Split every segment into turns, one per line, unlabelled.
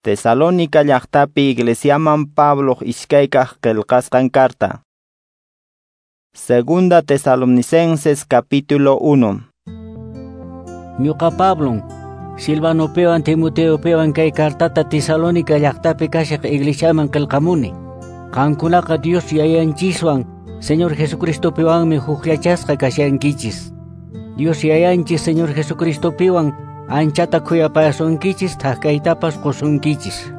Tesalónica llaqtapi iglesiaman Pabloq iskaykaq qillqasqan carta. Segunda Tesalonicenses capítulo 1.
Ñuqa Pablon, Silvanopiwan Timoteopiwan kay cartata Tesalónica llaqtapi kashaq iglesiaman qillqamuni. Qankunaqa Dios Yayanchiswan Señor Jesucristopiwanmi hukllachasqa kashankichis. Dios Yayanchis Señor Jesucristopiwan anchata khuyapayasunkichis thakaytapas qusunkichis.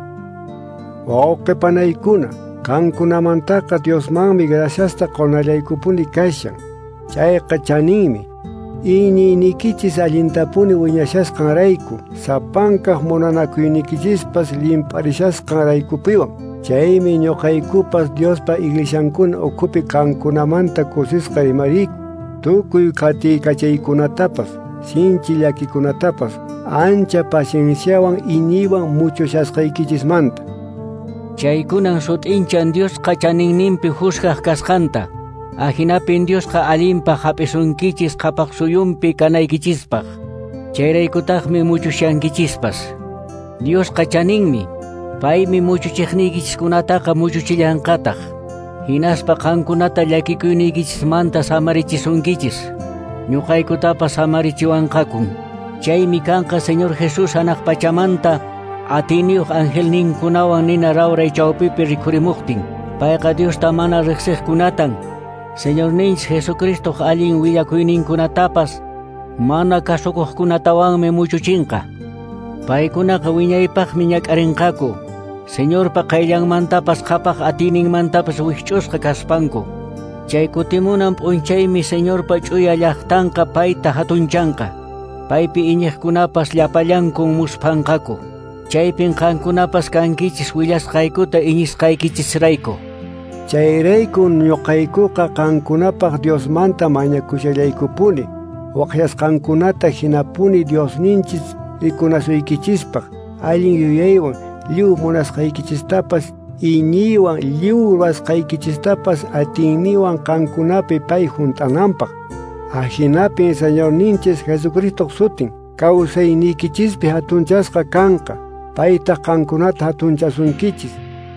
Wawqi panaykuna, qankunamantaqa Diosmanmi graciasta qonallaykupuni kashan. Chayqa chaninmi. Iñiynikichis allintapuni wiñashasqanrayku, sapankaq munanakuynikichispas limparishasqanraykupiwan. Chaymi ñuqaykupas Diospa iglesiankuna ukhupi qankunamanta kusisqa rimariyku. Tukuy qatiykachaykunatapas, sinchi llakikunatapas, ancha pacienciawan iñiywan muchushasqaykichismanta.
Chaykunan sut'inchan Diosqa chaninninpi juzgaq kasqanta. Ajinapin Diosqa allinpaq hap'isunkichis qhapaq suyunpi kanaykichispaq. Chayraykutaqmi muchushankichispas. Diosqa chaninmi, paymi muchuchiqniykichiskunataqa muchuchillanqataq. Hinaspa qankunata llakikuyniykichismanta samarichisunkichis. Ñuqaykutapas samarichiwanqakun. Chaymi kanqa Señor Jesús hanaq pachamanta atiniyuq angelninkunawan nina rawray chawpipi rikhurimuqtin. Payqa Diosta mana riqsiqkunatan Señorninchis Jesucristoq allin willakuyninkunatapas mana kasukuqkunatawanmi muchuchinqa. Paykunaqa wiñaypaqmi ñak'arinqaku. Señorpa qayllanmantapas qhapaq atiyninmantapas wikch'usqa kaspanku. Chay kutimunan p'unchaymi Señorpa ch'uya llaqtanqa payta hatunchanqa. Paypi iñiqkunapas llapallankun musphanqaku. Chaypin qankunapas kankichis willasqaykuta iñisqaykichisrayku.
Chayrayku ñuqaykuqa qankunapaq Diosmanta mañakushallaykupuni, waqyasqankunata hinapuni Diosninchis rikunasuykichispaq, allin yuyaywan lliw munasqaykichistapas iñiywan lliw ruwasqaykichistapas atiyniwan qankunapi pay hunt'ananpaq. Ajinapin Señorninchis Jesucristoq sutin kawsayniykichispi hatunchasqa kanqa, paytaq qankunata hatunchasunkichis.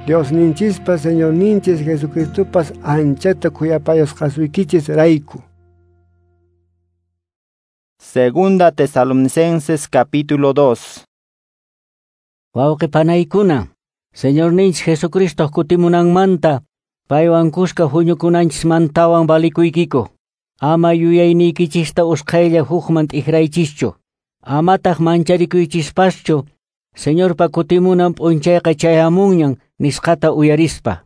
Diosninchispas Señorninchis Jesucristopas anchata khuyapayasqasuykichis rayku.
Segunda Tesalonicenses capítulo 2.
Wawqi panaykuna, Señorninchis Jesucristo kutimunanmanta paywan kuska huñukunanchismantawan valikuykiku. Ama yuyayniykichista usqhaylla hukman t'ikraychischu. Amataq mancharikuychispaschu. Señorpa kutimunan p'unchayqa chayamunñan nisqata uyarispa.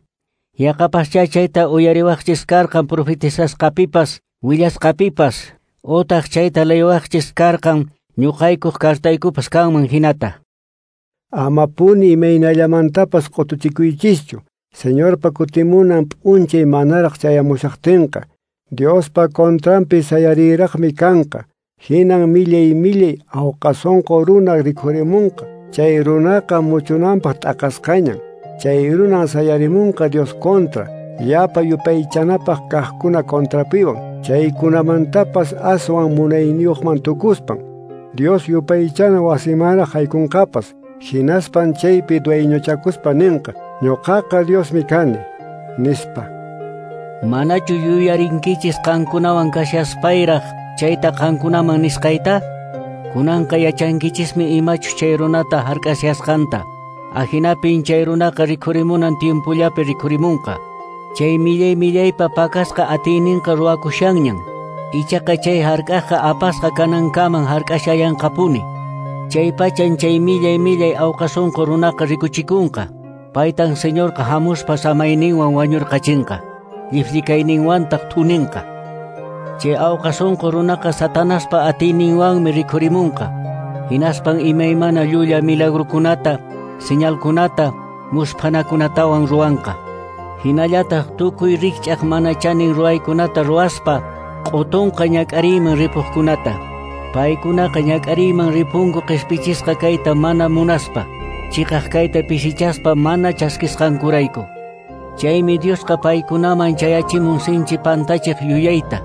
Yaqapaschá chayta uyariwaqchis karqan profetizasqapipas, willasqapipas, utaq chayta leywaqchis karqan ñuqaykuq cartaykupas kanman hinata.
Amapuni imaynallamantapas q'utuchikuychischu. Señorpa kutimunan p'unchay manaraq chayamushaqtinqa, Diospa contranpi sayariraqmi kanqa. Hinan millay millay awqasunqu runa rikhurimunqa. Chay runaqa muchunanpaq t'aqasqañan. Chay runan sayarimunqa Dios contra, llapa yupaychanapaq kaqkuna contrapiwan. Chaykunamantapas aswan munayniyuqman tukuspan. Dios yupaychana wasimanraq haykunqapas. Hinaspan chaypi dueñochakuspa ninqa, ñuqaqa Diosmi kani, nispa.
Manachu yuyarinkichis qankunawan kashaspayraq chayta qankunaman nisqayta? Kunanqa yachankichismi imachus chay runata hark'ashasqanta. Ajinapin chay runaqa rikhurimunan tiempollapi rikhurimunqa. Chay millay millaypa pakasqa atiyninqa ruwakushanñan. Ichaqa chay hark'aqqa apasqa kanankaman hark'ashallanqapuni. Chay pachan chay millay millay awqasunqu runaqa rikuchikunqa. Paytan Señorqa hamuspa samayninwan wañurqachinqa. Llifllikayninwantaq thuninqa. Chay awqasunqu runaqa Satanaspa atiyninwanmi rikhurimunqa. Hinaspan imaymana llulla milagrukunata, señalkunata, musphanakunatawan ruwanqa. Hinallataq tukuy rikch'aq mana chanin ruwaykunata ruwaspa q'utunqa ñak'ariyman ripuqkunata. Paykunaqa ñak'ariyman ripunku qhispichisqa kayta mana munaspa, chiqaq kayta pisichaspa mana chaskisqankurayku. Chaymi Diosqa paykunaman chayachimun sinchi pantachiq yuyayta,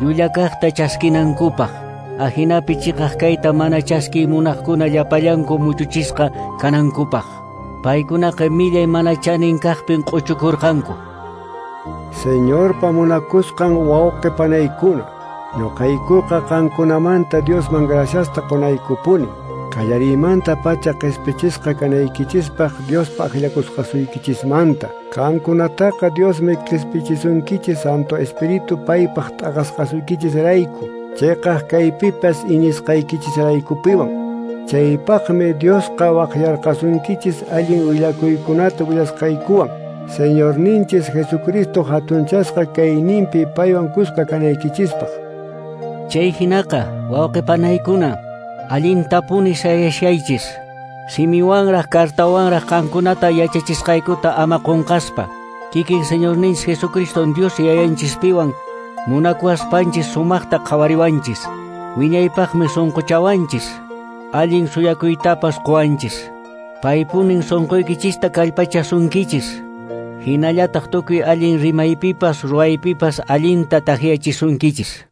llullakaqta chaskinankupaq. Ajinapi chiqaq kayta mana chaskiy munaqkuna llapallanku muchuchisqa kanankupaq. Paykunaqa millay mana chanin kaqpin q'uchukurqanku.
Señorpa munakusqan wawqi panaykuna, ñuqaykuqa qankunamanta Diosman graciasta qunaykupuni. Qallariymanta pacha qispichisqa kanaykichispaq Diospa akllakusqasuykichismanta. Qankunataqa Diosmi qispichisunkichis Santo Espíritu paypaq t'aqasqasuykichisrayku, chiqaq kaypipas iñisqaykichisraykupiwan. Chaypaqmi Diosqa waqyarqasunkichis allin willakuykunata willasqaykuwan. Señorninchis Jesucristo hatunchasqa kayninpi paywan kuska kanaykichispaq.
Chay hinaqa wawqi panaykuna, allintapuni sayashaychis. Simiwanraq kartawanraq qankunata yachachisqaykuta ama qunqaspa. Kikin Señorninchis Jesucristo Dios yayanchispiwan munakuwaspanchis sumaqta qhawariwanchis. Wiñaypaqmi sunquchawanchis. Allin suyakuytapas quwanchis. Paypunin sunquykichista kallpachasunkichis. Hinallataq tukuy allin rimaypipas ruwaypipas allinta takyachisunkichis.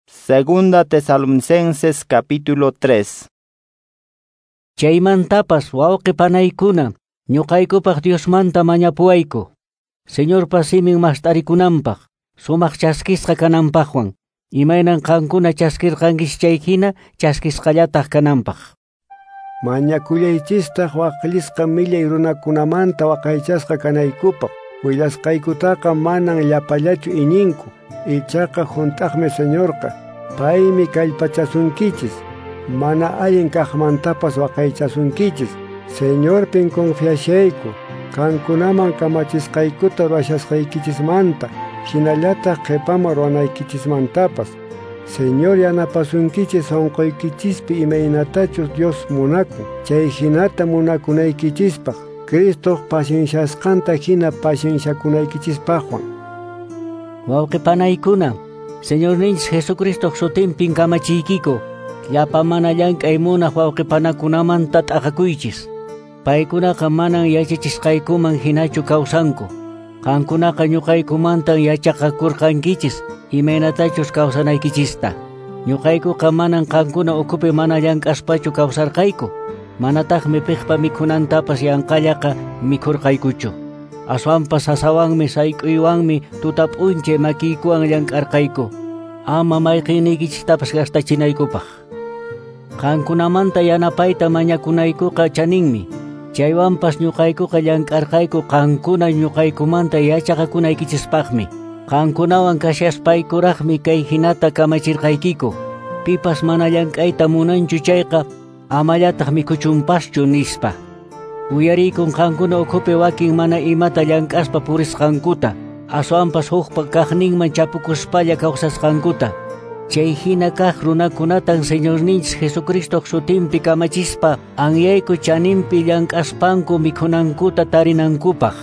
Segunda Tesalonicenses capítulo 3.
Chaymantapas wawqi panaykuna, ñuqaykupaq Diosmanta mañapuwayku. Señorpa simin mast'arikunanpaq, sumaq chaskisqa kananpaqwan, imaynan qankuna chaskirqankichis chay hina chaskisqallataq kananpaq.
Mañakullaychistaq waqllisqa millay runakunamanta waqaychasqa kanaykupaq. Willasqaykutaqa manan llapallachu iñinku, ichaqa hunt'aqmi Señorqa. Paymi kallpachasunkichis, mana allin kaqmantapas waqaychasunkichis. Señorpin confiashayku, qankunaman kamachisqaykuta ruwashasqaykichismanta, hinallataq qhipaman ruwanaykichismantapas. Señor yanapasunkichis sunquykichispi imaynatachus Dios munakun, chay hinata munakunaykichispaq, Cristoq pacienciasqanta hina pacienciakunaykichispaqwan.
Wawqi panaykuna, Señorninchis Jesucristoq sutinpin kamachiykiku, llapa mana llank'ay munaq wawqi panakunamanta t'aqakuychis. Paykunaqa manan yachachisqaykuman hinachu kawsanku. Qankunaqa ñuqaykumantan yachaqakurqankichis imaynatachus kawsanaykichista. Ñuqaykuqa manan qankuna ukhupi mana llank'aspachu kawsarqayku. Manataqmi piqpa mikhunantapas yanqallaqa mikhurqaykuchu. Aswanpas sasawanmi sayk'uywanmi tuta p'unchay makiykuwan llank'arqayku. Ama mayqiniykichistapas gastachinaykupaq. Qankunamanta yanapayta mañakunaykuqa chaninmi. Chaywanpas ñuqaykuqa llank'arqayku qankuna ñuqaykumanta yachaqakunaykichispaqmi. Qankunawan kashaspaykuraqmi kay hinata kamachirqaykiku. Pipas mana llank'ayta munanchu chayqa amallataq mikhuchunpaschu nispa. Uyariykun qankuna ukhupi wakin mana imata llank'aspa purisqankuta, aswanpas hukpa kaqninman chapukuspalla kawsasqankuta. Chay hina kaq runakunatan Señorninchis Jesucristoq sutinpi kamachispa anyayku chaninpi llank'aspanku mikhunankuta tarinankupaq.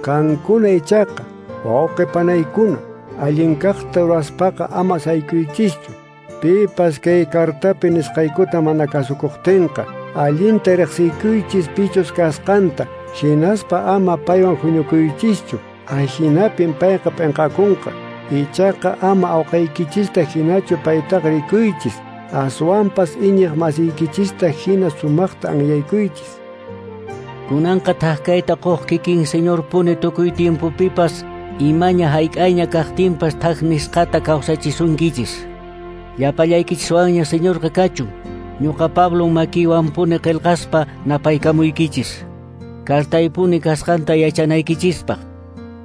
Qankuna ichaqa, wawqi panaykuna, allin kaqta ruwaspaqa ama saykuychischu. Pipas kay kartapi nisqaykuta mana kasukuqtinqa, allinta riqsiykuychis pichus kasqanta, hinaspa ama paywan huñukuychischu, ahinapin payqa p'inqakunqa. Ichaqa ama awqaykichista hinachu paytaqa rikuychis, aswanpas iñiq masiykichista hina sumaqta anyaykuychis.
Kunanqa thak kayta quq kikin Señor puni tukuy tiempopipas imaña hayk'ayña kaqtinpas thak nisqata kawsachisunkichis. Llapallaykichiswanña Señorqa kachun. Ñuqa Pablo makiywanpuni qillqaspa napaykamuykichis. Kartaypuni kasqanta yachanaykichispaq.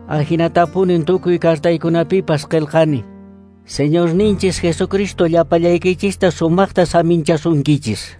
Ahinatapunin tukuy kartaykunapipas qillqani. Señorninchis Jesucristo llapallaykichista sumaqta saminchasunkichis.